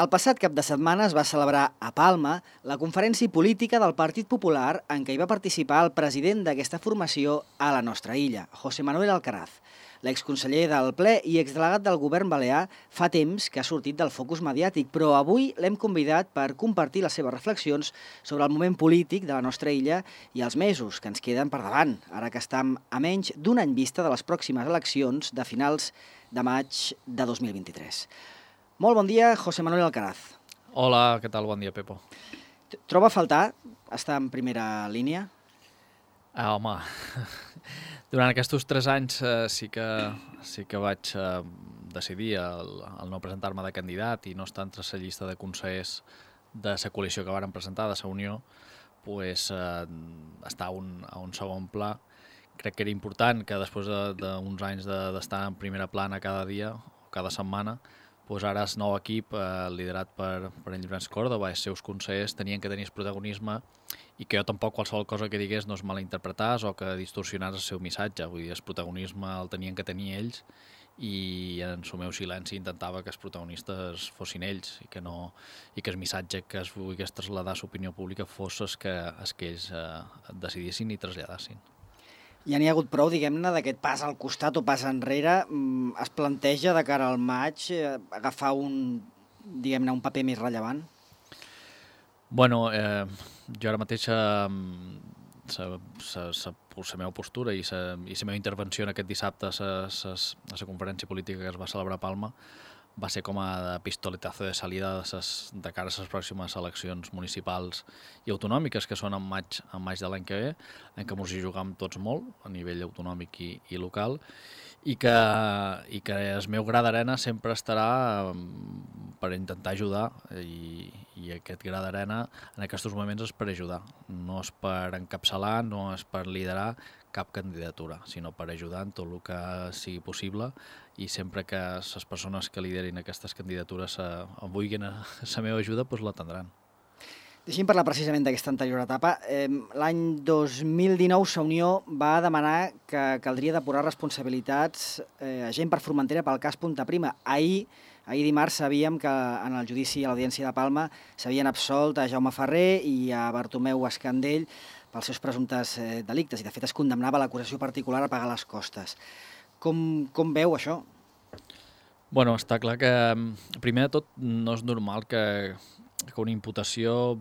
El passat cap de setmana es va celebrar a Palma la conferència política del Partit Popular en què hi va participar el president d'aquesta formació a la nostra illa, José Manuel Alcaraz. L'exconseller del ple i exdelegat del govern balear fa temps que ha sortit del focus mediàtic, però avui l'hem convidat per compartir les seves reflexions sobre el moment polític de la nostra illa i els mesos que ens queden per davant, ara que estem a menys d'un any vista de les pròximes eleccions de finals de maig de 2023. Molt bon dia, José Manuel Alcaraz. Hola, què tal? Bon dia, Pepo. Troba a faltar estar en primera línia? Home, durant aquests 3 anys sí que vaig decidir el no presentar-me de candidat i no estar entre la llista de consellers de la coalició que varen presentar, de la Unió, pues, estar a un segon pla. Crec que era important que després d'uns anys d'estar en primera plana cada dia o cada setmana, pues ara el nou equip, liderat per en Llorenç Córdoba i els seus consellers, tenien que tenir el protagonisme i que jo tampoc qualsevol cosa que digués no es malinterpretàs o que distorsionàs el seu missatge. Vull dir, el protagonisme el tenien que tenir ells i en el meu silenci intentava que els protagonistes fossin ells i que el missatge que es volgués traslladar a l'opinió pública fos el que ells decidissin i traslladassin. Ja n'hi ha hagut prou, diguem-ne, d'aquest pas al costat o pas enrere. Es planteja de cara al maig agafar un paper més rellevant? Bueno, jo ara mateix la meva postura i la meva intervenció en aquest dissabte a la conferència política que es va celebrar a Palma va ser com a pistoletazo de salida de cara a les pròximes eleccions municipals i autonòmiques, que són en maig de l'any que ve, en què ens hi jugam tots molt, a nivell autonòmic i local, i que el meu gra d'arena sempre estarà per intentar ajudar, i aquest gra d'arena en aquests moments és per ajudar, no és per encapçalar, no és per liderar cap candidatura, sinó per ajudar en tot el que sigui possible i sempre que les persones que liderin aquestes candidatures vulguin la meva ajuda, doncs la tindran. Deixi'm parlar precisament d'aquesta anterior etapa. L'any 2019 la Unió va demanar que caldria depurar responsabilitats a gent per Formentera pel cas Punta Prima. Ahir dimarts sabíem que en el judici a l'Audiència de Palma s'havien absolt a Jaume Ferrer i a Bartomeu Escandell pels seus presumptes delictes i de fet es condemnava l'acusació particular a pagar les costes. Com veu això? Bueno, està clar que primer de tot no és normal que una imputació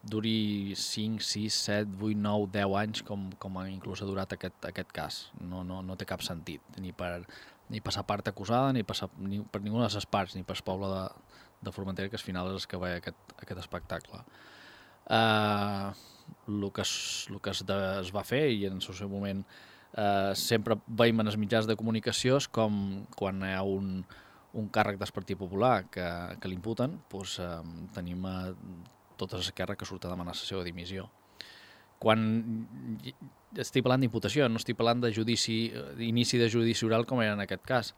duri 5, 6, 7, 8, 9, 10 anys com inclús ha durat aquest cas. No té cap sentit, ni per la part acusada, ni per ninguna de les parts, ni per el poble de Formentera, que al final és el que veia aquest espectacle. El que es va fer, i en el seu moment sempre veiem en els mitjans de comunicació, és com quan hi ha un càrrec del Partit Popular que l'imputen, doncs tenim tota l'esquerra que surt a demanar la seva dimissió. Quan estic parlant d'imputació, no estic parlant d'inici de judici oral com era en aquest cas.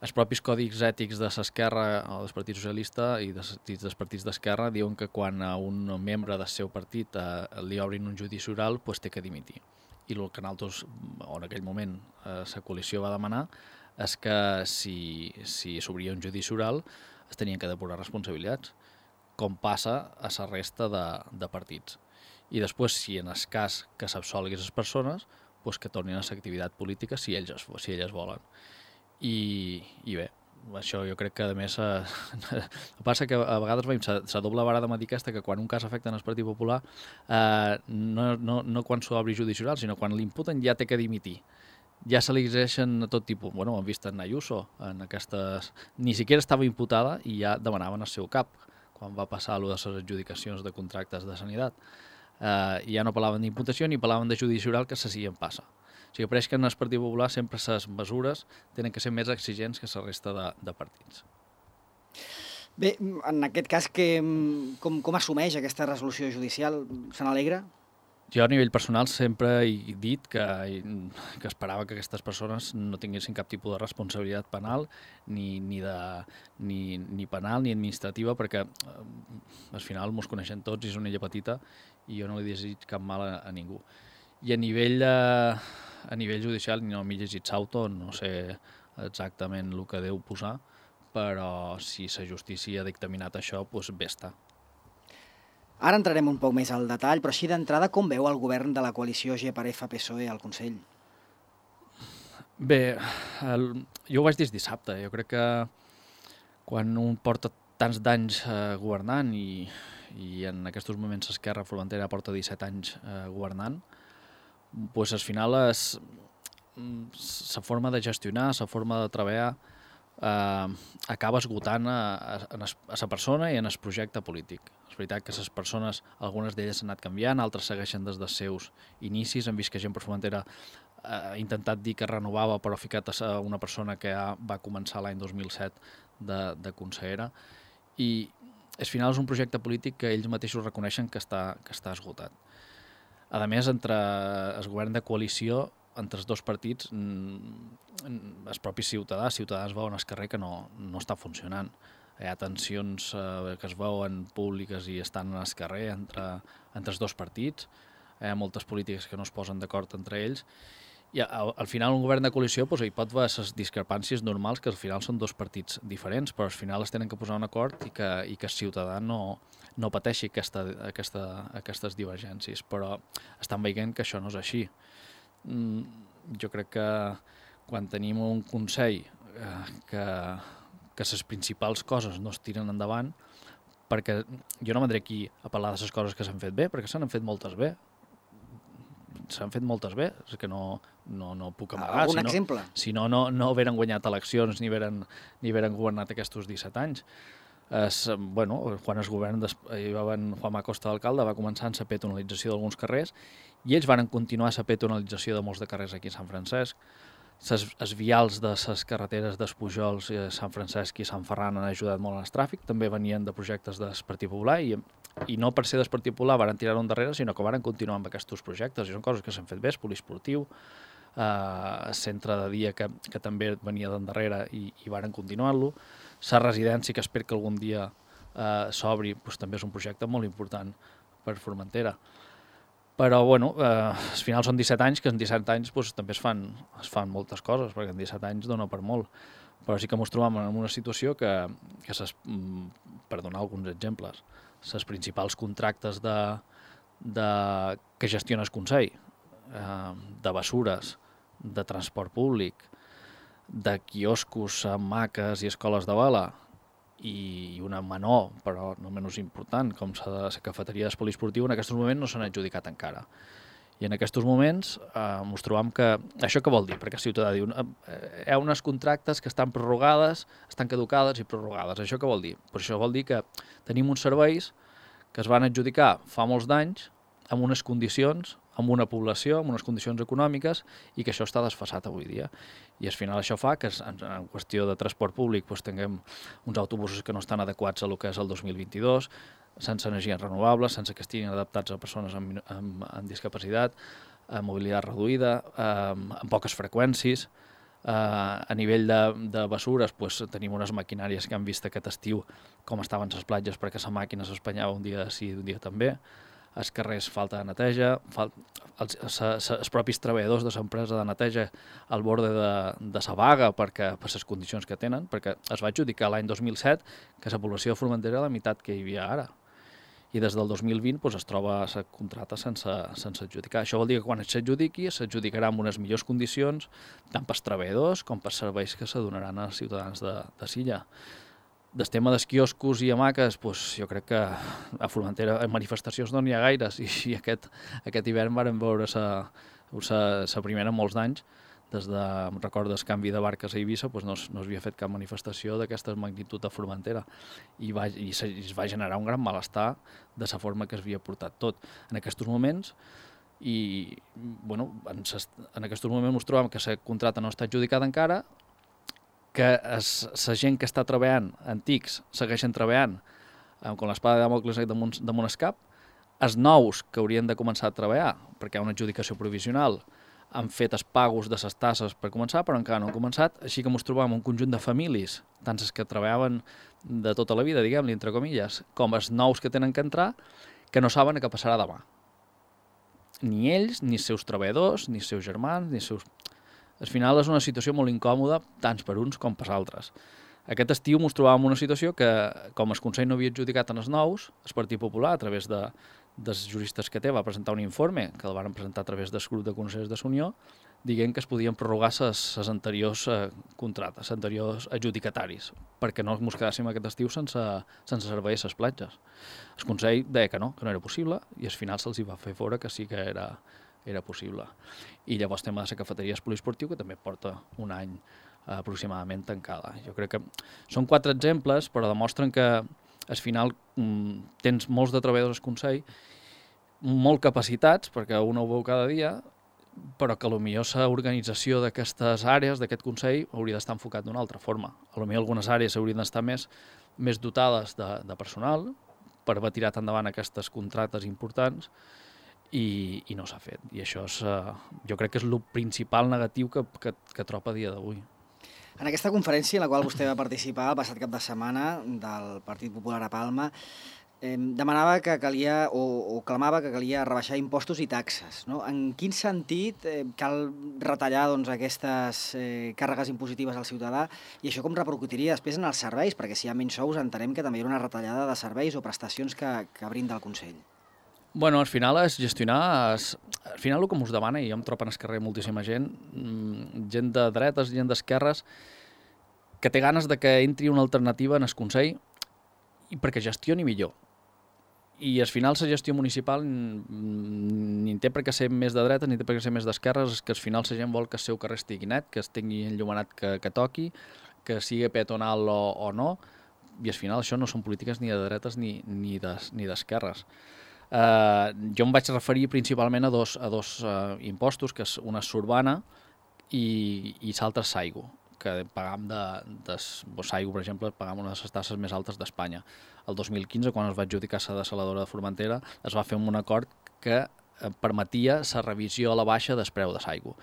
Els propis còdics ètics de l'esquerra o del Partit Socialista i dels partits d'esquerra diuen que quan a un membre del seu partit li obrin un judici oral, doncs té que dimitir. I el que nosaltres, o en aquell moment la coalició va demanar, és que si s'obria un judici oral es tenien que depurar responsabilitats, com passa a la resta de partits. I després, si en el cas que s'absolgui les persones, doncs que tornin a l'activitat política si elles volen. I bé, això jo crec que a més el que passa que a vegades veiem la doble vara de medir aquesta, que quan un cas afecta en el Partit Popular no quan s'obri judici oral, sinó quan l'imputen ja té que dimitir. Ja se li exigeixen tot tipus. Bueno, hem vist en Ayuso, en aquestes... Ni siquiera estava imputada i ja demanaven el seu cap, quan va passar allò de les adjudicacions de contractes de sanitat. Ja no parlaven d'imputació ni parlaven de judici oral, que se en passa. O sigui, pareix que en el Partit Popular sempre les mesures tenen que ser més exigents que la resta de partits. Bé, en aquest cas, com assumeix aquesta resolució judicial? Se n'alegra? Jo a nivell personal sempre he dit que esperava que aquestes persones no tinguessin cap tipus de responsabilitat penal, ni penal ni administrativa, perquè al final ens coneixem tots i és una illa petita i jo no li desig cap mal a ningú. I a nivell judicial no m'he llegit l'auto, no sé exactament el que deu posar, però si la justícia ha dictaminat això, doncs bé està. Ara entrarem un poc més al detall, però així d'entrada, com veu el govern de la coalició GPRF-PSOE al Consell? Bé, jo ho vaig dir dissabte. Jo crec que quan un porta tants d'anys governant i en aquests moments Esquerra Formentera porta 17 anys governant, doncs al final la forma de gestionar, la forma de treballar acaba esgotant a la persona i en el projecte polític. És veritat que les persones, algunes d'elles han anat canviant, altres segueixen des dels seus inicis. Hem vist que gent per Formentera ha intentat dir que renovava, però ha ficat a una persona que va començar l'any 2007 de consellera. I al final és un projecte polític que ells mateixos reconeixen que està esgotat. A més, entre el govern de coalició, entre els dos partits, el propi Ciutadans veuen al carrer que no està funcionant. Hi ha tensions que es veuen públiques i estan al carrer entre els dos partits. Hi ha moltes polítiques que no es posen d'acord entre ells. I al final un govern de coalició hi pot haver les discrepàncies normals, que al final són dos partits diferents, però al final es tenen que posar un acord i que el ciutadà no pateixi aquestes divergències. Però estan veient que això no és així. Jo crec que quan tenim un Consell que les principals coses no es tiren endavant, perquè jo no m'andré aquí a parlar de les coses que s'han fet bé, perquè s'han fet moltes bé. És que no puc amagar. Algun exemple? Si no hagueren guanyat eleccions ni hagueren governat aquests 17 anys. Quan es govern, Juanma Costa d'alcalde va començar amb la peatonalització d'alguns carrers i ells van continuar la peatonalització de molts de carrers aquí a Sant Francesc. Els vials de les carreteres d'Espujols, Sant Francesc i Sant Ferran han ajudat molt en el tràfic, també venien de projectes del Partit Popular i no per ser del Partit Popular van tirar-ho endarrere, sinó que van continuar amb aquests projectes. I són coses que s'han fet bé, el poliesportiu, el centre de dia que també venia d'endarrere i van continuar-lo. La residència, que espero que algun dia s'obri, també és un projecte molt important per Formentera. Però, al final són 17 anys, que en 17 anys també es fan moltes coses, perquè en 17 anys dona per molt. Però sí que ens trobem en una situació que per donar alguns exemples, els principals contractes que gestiona el Consell, de bessures, de transport públic, de quioscos, maques i escoles de vela, i una menor, però no menys important, com la cafeteria del poliesportiu, en aquests moments no s'han adjudicat encara. I en aquests moments ens trobem que... Això què vol dir? Perquè el ciutadà diu hi ha uns contractes que estan prorrogades, estan caducades i prorrogades. Això què vol dir? Pues això vol dir que tenim uns serveis que es van adjudicar fa molts d'anys amb unes condicions, amb una població, amb unes condicions econòmiques, i que això està desfasat avui dia. I al final això fa que en qüestió de transport públic tinguem uns autobusos que no estan adequats a el que és el 2022, sense energies renovables, sense que estiguin adaptats a persones amb discapacitat, amb mobilitat reduïda, amb poques freqüències. A nivell de bessures tenim unes maquinàries que han vist aquest estiu com estaven les platges perquè la màquina s'espanyava un dia sí i un dia també. Els carrers falta de neteja, els propis treballadors de l'empresa de neteja al borde de la vaga per les condicions que tenen, perquè es va adjudicar l'any 2007 que la població de Formentera era la meitat que hi havia ara. I des del 2020 es troba la contracta sense adjudicar. Això vol dir que quan s'adjudiqui, s'adjudicarà amb unes millors condicions, tant pels treballadors com pels serveis que se donaran als ciutadans de Silla. Del tema dels quioscos i hamaques, jo crec que a Formentera en manifestacions no n'hi ha gaires i aquest hivern vam veure la primera en molts d'anys. Des de, recordo, el canvi de barques a Eivissa no s'havia fet cap manifestació d'aquesta magnitud a Formentera i es va generar un gran malestar de la forma que s'havia portat tot. En aquests moments en aquests moments ens trobem que la contracta no està adjudicada encara, que la gent que està treballant, antics, segueixen treballant amb l'espada de Damocles damunt el cap, els nous que haurien de començar a treballar, perquè hi ha una adjudicació provisional, han fet els pagos de les tasses per començar, però encara no han començat, així que ens trobem un conjunt de famílies, tant els que treballaven de tota la vida, diguem-li, entre comilles, com els nous que tenen que entrar, que no saben què passarà demà. Ni ells, ni els seus treballadors, ni els seus germans, ni els seus... Al final és una situació molt incòmoda, tant per uns com per altres. Aquest estiu ens trobàvem en una situació que, com el Consell no havia adjudicat en els nous, el Partit Popular, a través dels juristes que té, va presentar un informe que el van presentar a través del grup de consellers de l'Unió, dient que es podien prorrogar les anteriors contractes, els anteriors adjudicataris, perquè no ens quedàssim aquest estiu sense serveis a les platges. El Consell deia que no era possible, i al final se'ls va fer fora que sí que era possible. I llavors tema de la cafeteria poliesportiu, que també porta un any aproximadament tancada. Jo crec que són 4 exemples, però demostren que al final tens molts de treballadors al Consell, molt capacitats, perquè un ho veu cada dia, però que potser l'organització d'aquestes àrees, d'aquest Consell, hauria d'estar enfocat d'una altra forma. Potser algunes àrees haurien d'estar més dotades de personal per haver tirat endavant aquestes contractes importants i no s'ha fet. I això jo crec que és el principal negatiu que trobo a dia d'avui. En aquesta conferència en la qual vostè va participar el passat cap de setmana del Partit Popular a Palma, demanava que calia, o clamava que calia rebaixar impostos i taxes, no? En quin sentit cal retallar aquestes càrregues impositives al ciutadà i això com repercutiria després en els serveis? Perquè si hi ha menys sous entenem que també hi ha una retallada de serveis o prestacions que brinda el Consell. Bueno, al final és gestionar... Al final el que us demana, i jo em trobo en el carrer moltíssima gent de dretes, gent d'esquerres, que té ganes de que entri una alternativa en el Consell i perquè gestioni millor. I al final la gestió municipal ni té per què ser més de dretes ni té per què ser més d'esquerres, és que al final la gent vol que el seu carrer estigui net, que es tingui enllumenat que toqui, que sigui peatonal o no, i al final això no són polítiques ni de dretes ni d'esquerres. Jo em vaig referir principalment a dos impostos, que un és Urbana i l'altre és Saigo, que pagam Saigo, per exemple, pagam una de les tasses més altes d'Espanya. El 2015, quan es va adjudicar la dessaladora de Formentera, es va fer un acord que permetia la revisió a la baixa del preu de Saigo.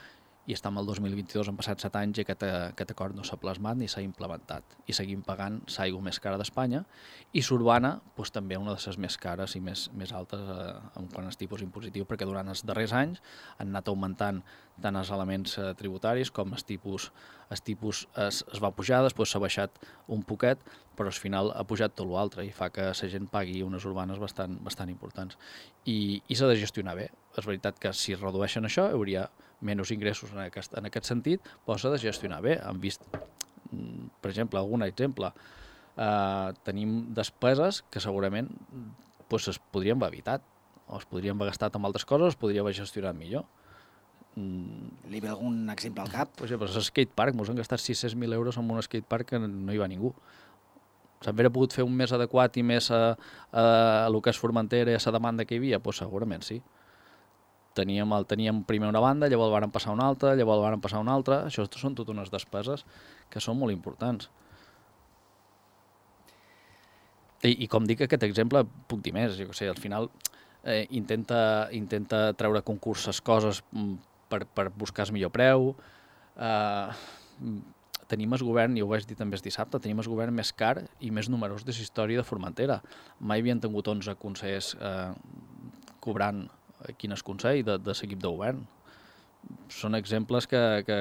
I estem al 2022, han passat 7 anys i aquest acord no s'ha plasmat ni s'ha implementat. I seguim pagant l'aigua més cara d'Espanya i l'Urbana també una de les més cares i més altes en quant al tipus impositiu, perquè durant els darrers anys han anat augmentant tant els elements tributaris com el tipus es va pujar, després s'ha baixat un poquet, però al final ha pujat tot l'altre i fa que la gent pagui unes urbanes bastant importants. I s'ha de gestionar bé. És veritat que si redueixen això hi hauria menys ingressos en aquest sentit, però s'ha de gestionar bé. Hem vist, per exemple, algun exemple, tenim despeses que segurament es podrien haver evitat, o es podrien haver gastat en altres coses, o es podria haver gestionat millor. Li ve algun exemple al cap? Per exemple, el skatepark, ens han gastat 600.000 euros en un skatepark que no hi va ningú. S'hauria pogut fer un més adequat i més a el que és Formentera i a la demanda que hi havia? Doncs segurament sí. Teníem primer una banda, llavors van passar una altra, llavors van passar una altra. Això són totes unes despeses que són molt importants. I com dic aquest exemple, puc dir més. Jo què sé, al final intenta treure concursos coses per buscar el millor preu. Tenim el govern, i ho vaig dir també el dissabte, tenim el govern més car i més numerós de la història de Formentera. Mai havien tingut 11 consellers cobrant quin és consell de l'equip de govern. Són exemples que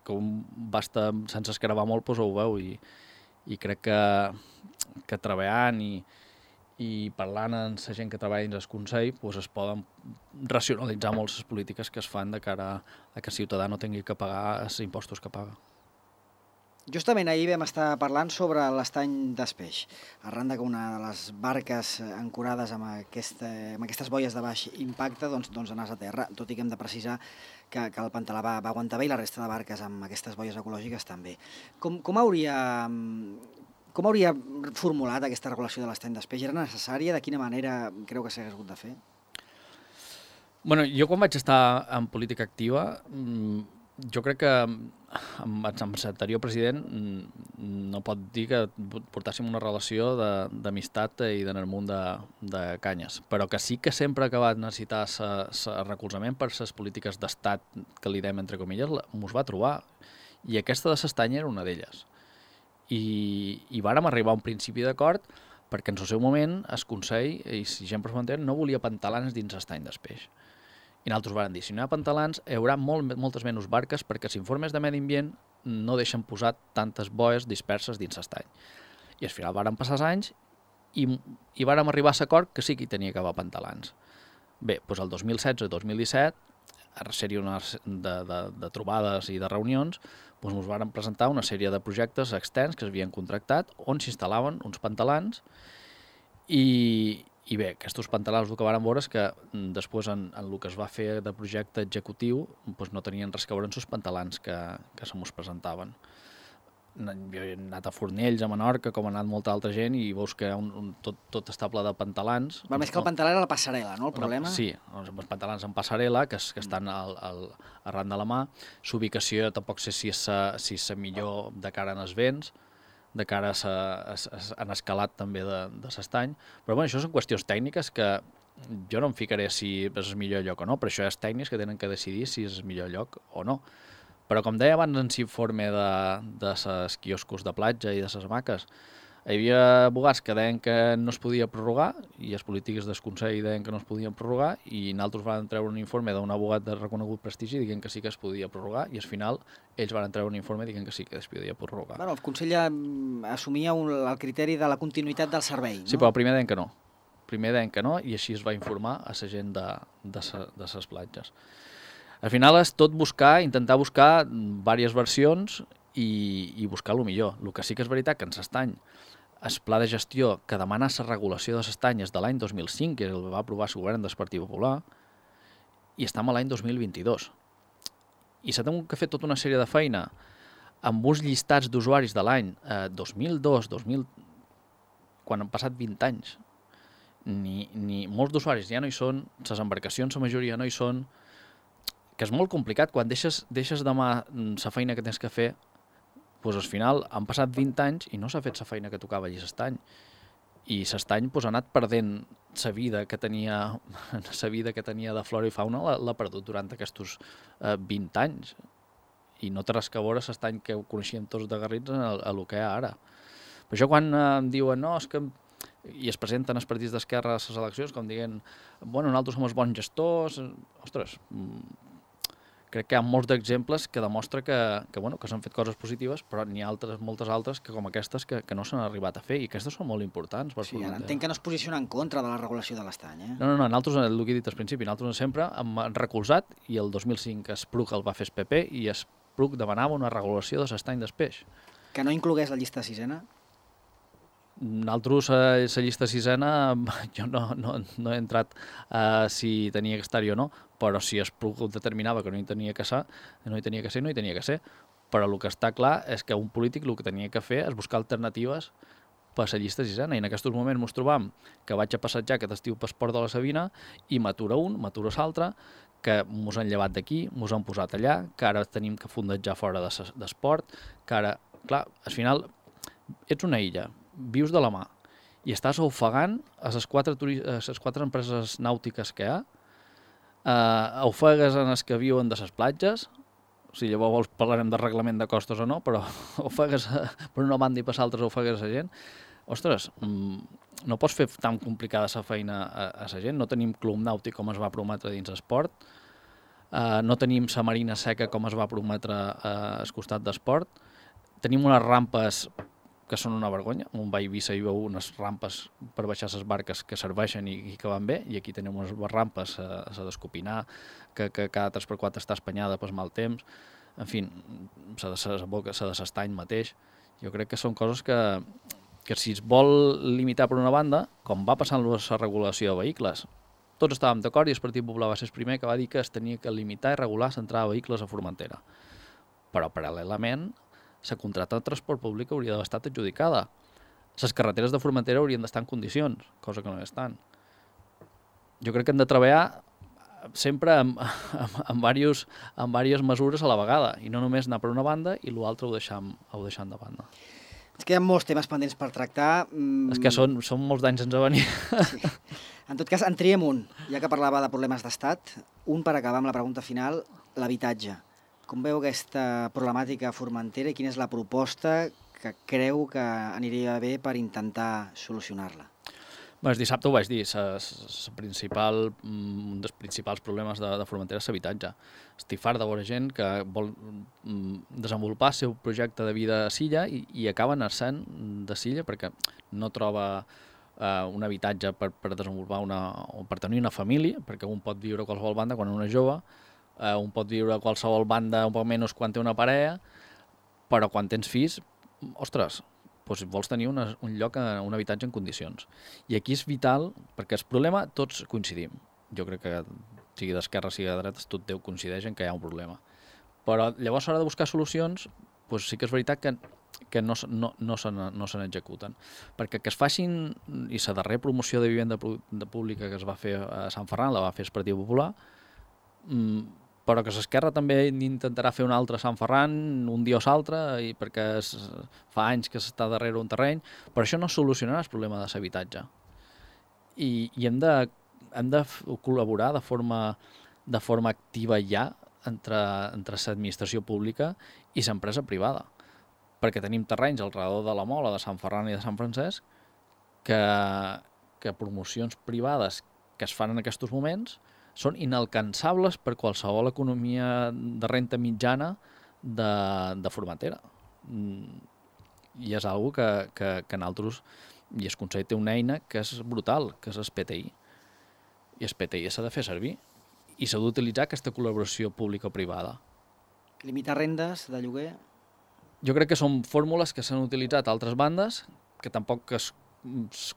un va estar sense escaravar molt, doncs ho veu, i crec que treballant i parlant amb la gent que treballa dins el Consell es poden racionalitzar molt les polítiques que es fan de cara a que el ciutadà no tingui que pagar els impostos que paga. Justament ahir vam estar parlant sobre l'estany d'Espeix, arran que una de les barques ancorades amb aquestes boies de baix impacte anés a terra, tot i que hem de precisar que el Pantalà va aguantar bé i la resta de barques amb aquestes boies ecològiques també. Com hauria formulat aquesta regulació de l'estany d'Espeix? Era necessària? De quina manera creu que s'hagués hagut de fer? Bueno, jo quan vaig estar en política activa, jo crec que amb l'anterior president no pot dir que portàssim una relació d'amistat i d'enermunt de canyes, però que sí que sempre que va necessitar el recolzament per les polítiques d'estat que li dèiem, entre comilles, mos va trobar. I aquesta de l'estany era una d'elles. I vàrem arribar a un principi d'acord perquè en el seu moment el Consell i la gent per Formentera no volia pantalans dins l'estany d'Espeix. I nosaltres vam dir, si no hi ha pantalans, hi haurà moltes menys barques perquè els informes de medi ambient no deixen posar tantes boes disperses dins l'estany. I al final varen passar els anys i vàrem arribar a l'acord que sí que hi tenia que haver pantalans. Bé, doncs el 2016-2017, a sèrie de trobades i de reunions, doncs ens varen presentar una sèrie de projectes externs que s'havien contractat on s'instal·laven uns pantalans i bé, aquests pantalans el que vàrem veure és que després en el que es va fer de projecte executiu doncs no tenien res que veure amb els pantalans que se mos presentaven. Jo he anat a Fornells, a Menorca, com ha anat molta altra gent, i veus que tot està ple de pantalans. Més que el pantalà era la passarel·la, no, el problema? Sí, els pantalans en passarel·la, que estan arran de la mà. L'ubicació tampoc sé si és millor de cara als vents, de cara a escalat també de l'estany. Però bueno, això són qüestions tècniques que jo no em ficaré si és el millor lloc o no, però això és tècnics que tenen que decidir si és el millor lloc o no. Però com deia abans en l'informe de les quioscos de platja i de les hamaques, hi havia abogats que deien que no es podia prorrogar i els polítics del Consell deien que no es podien prorrogar i nosaltres van treure un informe d'un abogat de reconegut prestigi dient que sí que es podia prorrogar i al final ells van treure un informe dient que sí que es podia prorrogar. Bueno, el Consell assumia el criteri de la continuïtat del servei, no? Sí, però primer deien que no. Primer deien que no i així es va informar a la gent de les platges. Al final és tot intentar buscar diverses versions i buscar el millor. El que sí que és veritat que en l'estany el pla de gestió que demana la regulació de l'estany és de l'any 2005, que el va aprovar el govern del Partit Popular, i estem a l'any 2022. I s'ha tingut que fer tota una sèrie de feina amb uns llistats d'usuaris de l'any 2002, quan han passat 20 anys. Ni molts d'usuaris ja no hi són, les embarcacions la majoria no hi són, que és molt complicat, quan deixes de mà la feina que tens que fer, doncs al final han passat 20 anys i no s'ha fet la feina que tocava allí l'estany. I l'estany ha anat perdent la vida que tenia de flora i fauna, l'ha perdut durant aquests 20 anys. I no té res que veure l'estany que ho coneixíem tots de Garrits a el que hi ha ara. Per això quan em diuen, no, és que i es presenten els partits d'esquerra a les eleccions com dient, bueno, nosaltres som els bons gestors, ostres, crec que hi ha molts d'exemples que demostra que s'han fet coses positives, però n'hi ha moltes altres com aquestes que no s'han arribat a fer, i aquestes són molt importants. Sí, entenc que no es posiciona en contra de la regulació de l'estany. No, nosaltres, el que he dit al principi, nosaltres sempre hem recolzat, i el 2005 Espruc el va fer el PP, i Espruc demanava una regulació de l'estany del peix. Que no inclogués la llista sisena? Nosaltres, la llista sisena, jo no he entrat si tenia que estar-hi o no, però si es determinava que no hi tenia que ser, no hi tenia que ser. Però el que està clar és que un polític el que tenia que fer és buscar alternatives per a la llista sisena. I en aquests moments ens trobam que vaig a passejar aquest estiu pel Port de la Sabina i m'atura un, m'atura l'altre, que ens han llevat d'aquí, ens han posat allà, que ara tenim que fondejar fora d'esport, que ara, clar, al final ets una illa, vius de la mà i estàs ofegant a les quatre empreses nàutiques que hi ha, ofegues en els que viuen de les platges, si llavors parlarem de reglament de costos o no, però ofegues per una banda i per l'altra ofegues a la gent. Ostres, no pots fer tan complicada la feina a la gent, no tenim club nàutic com es va prometre dins l'esport, no tenim la marina seca com es va prometre al costat d'esport, tenim unes rampes que són una vergonya. On va a Eivissa hi veu unes rampes per baixar les barques que serveixen i que van bé, i aquí tenim unes rampes a d'Escopinar, que cada 3x4 està espanyada pel mal temps. En fi, s'ha de l'estany mateix. Jo crec que són coses que si es vol limitar per una banda, com va passar amb la regulació de vehicles, tots estàvem d'acord i el Partit Popular va ser el primer que va dir que es tenia que limitar i regular l'entrada de vehicles a Formentera. Però paral·lelament, la contracta de transport públic hauria d'haver estat adjudicada. Les carreteres de Formentera haurien d'estar en condicions, cosa que no estan. Jo crec que hem de treballar sempre amb diverses mesures a la vegada, i no només anar per una banda i l'altre ho deixam de banda. Ens queden molts temes pendents per tractar. És que són molts d'anys sense venir. Sí. En tot cas, en triem un, ja que parlava de problemes d'estat, un per acabar amb la pregunta final, l'habitatge. Com veu aquesta problemàtica a Formentera i quina és la proposta que creu que aniria bé per intentar solucionar-la? Dissabte ho vaig dir, un dels principals problemes de Formentera és l'habitatge. Estic fart de veure gent que vol desenvolupar el seu projecte de vida a Silla i acaba anant de Silla perquè no troba un habitatge per desenvolupar o per tenir una família, perquè un pot viure a qualsevol banda quan és jove, un pot viure a qualsevol banda un poc menys quan té una parella, però quan tens fills, ostres, doncs vols tenir un lloc, un habitatge en condicions. I aquí és vital, perquè el problema tots coincidim. Jo crec que sigui d'esquerra, sigui de dretes, tot Déu coincideix en que hi ha un problema. Però llavors a l'hora de buscar solucions, doncs sí que és veritat que no se n'executen. Perquè que es facin, i la darrera promoció de vivenda pública que es va fer a Sant Ferran, la va fer el Partit Popular, però que l'esquerra també intentarà fer un altre a Sant Ferran un dia o l'altre, perquè fa anys que s'està darrere un terreny, però això no solucionarà el problema de l'habitatge. I hem de col·laborar de forma activa ja entre l'administració pública i l'empresa privada, perquè tenim terrenys al redador de la Mola, de Sant Ferran i de Sant Francesc, que promocions privades que es fan en aquests moments són inalcançables per qualsevol economia de renta mitjana de Formentera. I és una cosa que nosaltres, i el Consell té una eina que és brutal, que és el PTI. I el PTI s'ha de fer servir i s'ha d'utilitzar aquesta col·laboració pública-privada. Limitar rendes de lloguer? Jo crec que són fórmules que s'han utilitzat a altres bandes, que tampoc el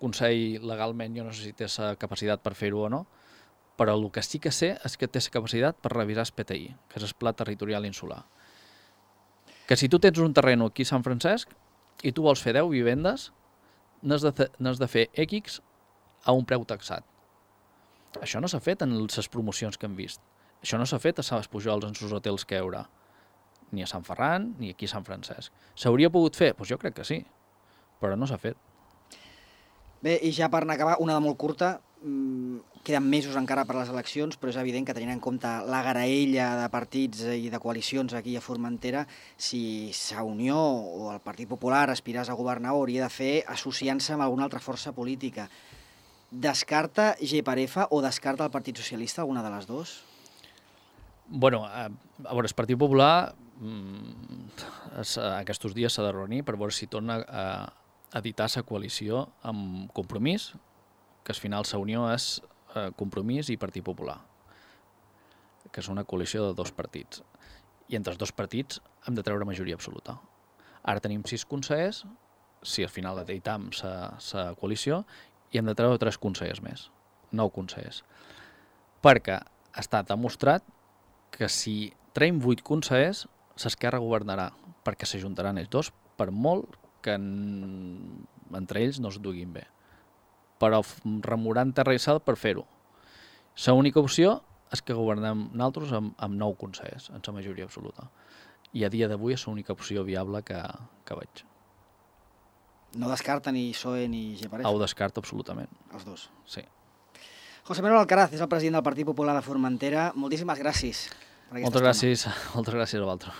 Consell legalment jo no sé si té la capacitat per fer-ho o no, però el que sí que sé és que té la capacitat per revisar el PTI, que és el Pla Territorial Insular. Que si tu tens un terreno aquí a Sant Francesc i tu vols fer 10 vivendes, n'has de fer X a un preu taxat. Això no s'ha fet en les promocions que hem vist. Això no s'ha fet a Sant Pujols en els hotels que hi haurà, ni a Sant Ferran ni aquí a Sant Francesc. S'hauria pogut fer? Doncs jo crec que sí, però no s'ha fet. Bé, i ja per anar a acabar, una de molt curta, queden mesos encara per les eleccions, però és evident que tenint en compte la graella de partits i de coalicions aquí a Formentera, si la Unió o el Partit Popular aspiràs a governar, hauria de fer associant-se amb alguna altra força política. Descarta GPRF o descarta el Partit Socialista, alguna de les dues? Bueno, a veure, el Partit Popular aquests dies s'ha de reunir per veure si torna a editar la coalició amb Compromís, que al final la unió és Compromís i Partit Popular, que és una coalició de dos partits. I entre els dos partits hem de treure majoria absoluta. Ara tenim 6 consellers, si al final editam la coalició, i hem de treure 3 consellers més, 9 consellers. Perquè ha estat demostrat que si traiem 8 consellers, l'esquerra governarà, perquè s'ajuntaran ells dos, per molt que entre ells no es duguin bé. Però remorant terra i sal per fer-ho. L'única opció és que governem nosaltres amb 9 consellers, en la majoria absoluta. I a dia d'avui és l'única opció viable que veig. No descarta ni PSOE ni GPRF? Ho descarta absolutament. Els dos? Sí. José Manuel Alcaraz és el president del Partit Popular de Formentera. Moltíssimes gràcies per aquesta estona. Moltes gràcies a vosaltres.